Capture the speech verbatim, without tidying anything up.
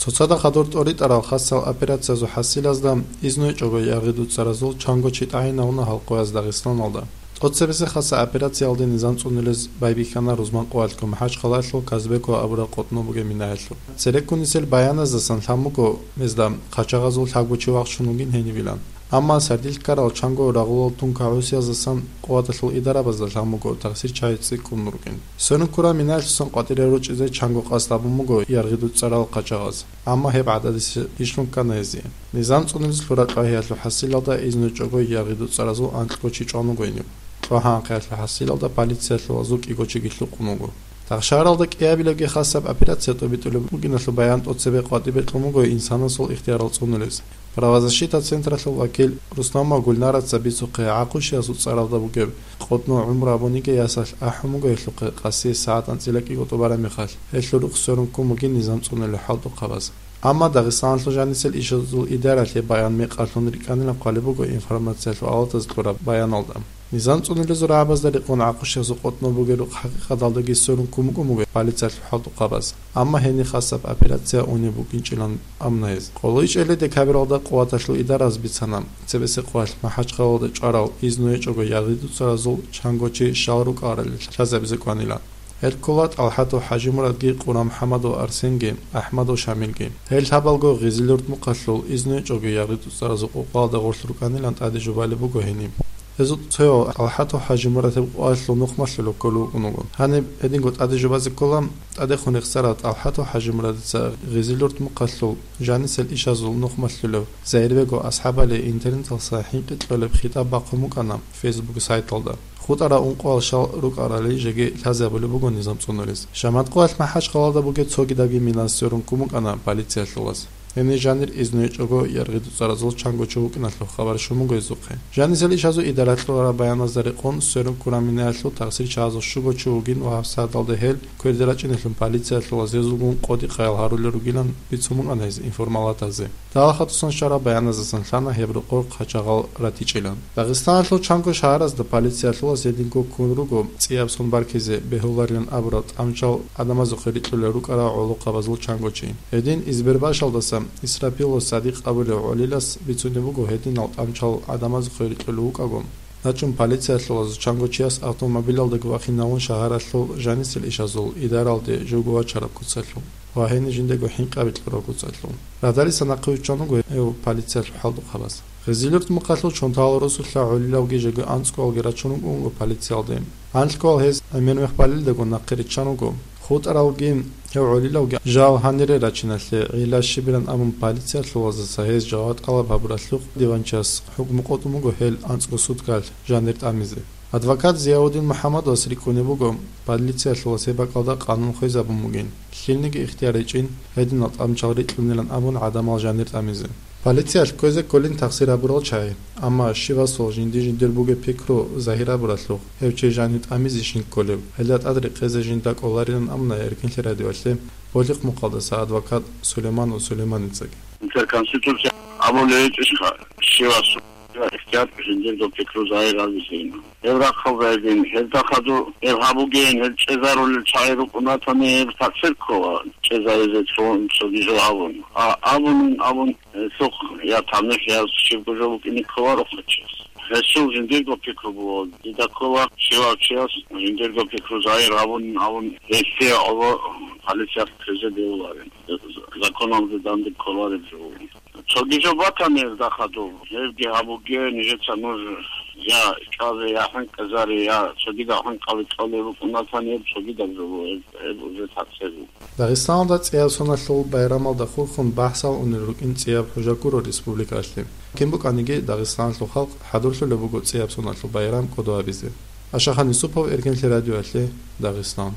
Цоцазда хадур тӀоритӀарал хасал операциязул хӀасилазда изну гьечӀого яргъи дуцаразул чанго чи тӀагӀинавуна гьал къояз Дагъистаналда. ТӀоцебесеб хасаб операциялде низам цӀунулез байбихьана рузман къоялъго МахӀачхъалаялъул Казбеково абураб къотӀноб бугеб минаялъул. Цереккун нилъер баяназдасан лъан буго гьезда, хъачагъазул лъабго чи вахчун вугин гьенивилан. Амма сардилъ ккарал чанго рагъулал тункагӀусияздасан къуваталъул идарабазда лъан буго тахсир чагӀи цӀикӀкӀун рукӀин. Сверун ккураб минаялъусан къватӀире ручӀизе чанго къасд гьабун буго яргъи дуцарал хъачагъаз. Амма гьеб гӀададиса ишлъун ккана гьезие. Низам цӀунулез лъураб тӀагӀиялъул хӀасилалда изну гьечӀого яргъи дуцаразул анкьго чи чӀван вуго гьениб. ТӀагӀи анкьиялъул хӀасилалда полициялъулазул кӀиго чиги лъукъун вуго. Дагъ шагьаралда кӀиабилебги хасаб операция тӀобитӀулеб бугиналъул баян тӀоцебе къватӀибе кьун буго инсанасул ихтиярал цӀунулез. Правозащита централъул вакил Русланова Гульнараца бицухъе, ГӀахъушиясул цӀаралда бугеб къотӀнов гӀумру абуниги ясалъ ахӀун буго гьелъухъе къаси сагӀат анцӀила кӀиго тӀубараб мехалъ, гьелъул рухъ сверун ккун бугин низам цӀунулел хӀалтӀухъабаз. Амма Дагъистаналъул жанисел ишазул идаралъе баян мекъалъун рикӀкӀанилан хъвалеб буго информациялъул авалаз кьураб баяналда. Низам цӀунулезул рагӀабазда рекъон ГӀахъушиясул къотӀнов бугеб рухъ хӀакъикъаталдаги сверун ккун букӀун буго полициялъул хӀалтӀухъабаз. Амма гьениб хасаб операция унеб букӀинчӀилан амна гьез. КӀоло ичӀелей декабралда къуваталъул идараз бицана, цебесеб къоялъ МахӀачхъалаялда чӀварал изну гьечӀого яргъи дуцаразул чанго чи щал рукӀарали лъазабизе кӀванилан. Гьел ккола ТӀалхӀатов ХӀажимурадги, Къурамхамадов Арсенги, Ахмадов Шамилги. Гьел лъабалго Гъизилуртмухъалъул изну гьечӀого яргъи дуцаразул къукъалда гъорлъ рукӀанилан тӀаде жубалеб буго гьениб. Гьезул цояв ТӀалхӀатов ХӀажимурад гьеб къоялъул нухмалъулев кколев вукӀун вуго. Гьаниб гьединго тӀаде жубазе ккола, тӀадехун рехсарав ТӀалхӀатов ХӀажимурадица Гъизилуртмухъалъул жанисел ишазул нухмалъулев Загьирбегов АсхӀабали интернеталъа хӀинкъи кьолеб хитӀаб бахъун букӀана Facebook сайталда. ХутӀараб ункъоял щал рукӀарали жеги лъазабулеб буго низам цӀунулез. Шаматкъоялъ МахӀачхъалаялда бугеб цогидабги мина сверун ккун букӀана полициялъулаз. Гьенир жанир изну гьечӀого яргъи дуцаразул чанго чи вукӀиналъул хабар щун буго гьезухъе. Жанисел ишазул идаралъ кьураб баяназда рекъон сверун ккураб минаялъул тахсир чагӀазул щуго чи вугин ва гьабсагӀаталда гьел кверде рачӀиналъун полициялъулаз гьезулгун къодихъаял гьарулел ругилан бицун букӀана гьез информалатазе. Далахатусан щвараб баяназдасан лъана гьеб рокъор хъачагъал ратичӀилан. Дагъистаналъул чанго шагьаразда полициялъулаз гьединго ккун руго цӀияб сон баркизе бегьуларилан абурал тӀамчал гӀадамазухъе рикьулел рукӀарал гӀолохъабазул чанго чи. Гьедин Избербашалдаса Исрапилов Садикъ абулев гӀолилас бицунеб буго гьединал тӀамчал гӀадамазухъе рикьулев вукӀаго, начӀун полициялъулазул чанго чияс автомобилалдаги вахинавун шагьаралъул жанисел ишазул идаралде живго вачараб куцалъул ва гьенир жиндего хӀинкъаби кьураб куцалъул. Радалиса нахъе виччан вуго гьев полициялъул хӀалтӀухъабаз. Гъизилуртмухъалъул чонтал росулъа гӀолилавги жеги анцӀгоялги рачун вукӀун вуго полициялде. Гьанлъгоял гьез гӀемер мехалъ балелдаго нахъе риччан вуго. ХутӀаралги гьев гӀолилавги жал гьанире рачиналъе гӀилла щибилан абун полициялъулаздаса гьез жаваб тӀалаб гьабуралъухъ диванчияс хӀукму къотӀун буго гьел анцӀго суткалъ жанир тӀамизе. Адвокат Зияудин МухӀаммадовас рикӀкӀунеб буго, полициялъулаз гьеб бакӀалда къанун хвезабун бугин, лъилниги ихтияр гьечӀин, гьединал тӀамчал рикьунилан абун гӀадамал жанир тӀамизе. Полициялъ кквезе кколин тахсир гьабурал чагӀи, амма щивасул жинди-жиндир бугеб пикру загьир гьабуралъухъ, гьев чи жанив тӀамизе щин кколев, гьелда тӀад рекъезе жинда кӀоларилан абуна Эркинлъи радиоялъе Болихъ мухъалдаса адвокат Сулейманов Сулейманицаги. Интерконституция абулеб гьечӀищха, щивасул ихтияр жиндирго пикру загьир гьабизе. Гьеб рахъалда гьедин, гьелда хадур гьеб гьабугейин, гьел чӀезарулел чагӀи рукӀун ратани, гьеб тахсир ккола, чӀезаризе цо-, цоги жо гьабун. А абунин абун, гьелъухъ я тамихӀ, я щибго жо букӀине кколарухъа чияс. Гьесул жиндирго пикру буго, дида ккола, щивав чияс жиндирго пикру загьир гьабунин абун, гьесие гӀоло полициялъ кквезе бегьуларин. Законалде данде кколареб жо. Цоги жо батани гьезда хадуб, гьебги гьабуге, нижеца нуж я чӀвазе, я хӀинкъизаре, я цогидал хӀинкъаби кьолеб букӀунатани, гьеб цогидаб жо буго, гьеб, гьеб уже тахсир буго. Дагъистаналда цӀияб соналъул байрамалда хурхун бахӀсал унел рукӀин цӀияб хӀужа гуро республикалъе. Кин букӀаниги, Дагъистаналъул халкъ хӀадурлъулеб буго цӀияб соналъул байрам кӀодо гьабизе. Ашахан Юсупов, Эркинлъи радиоялъе, Дагъистан.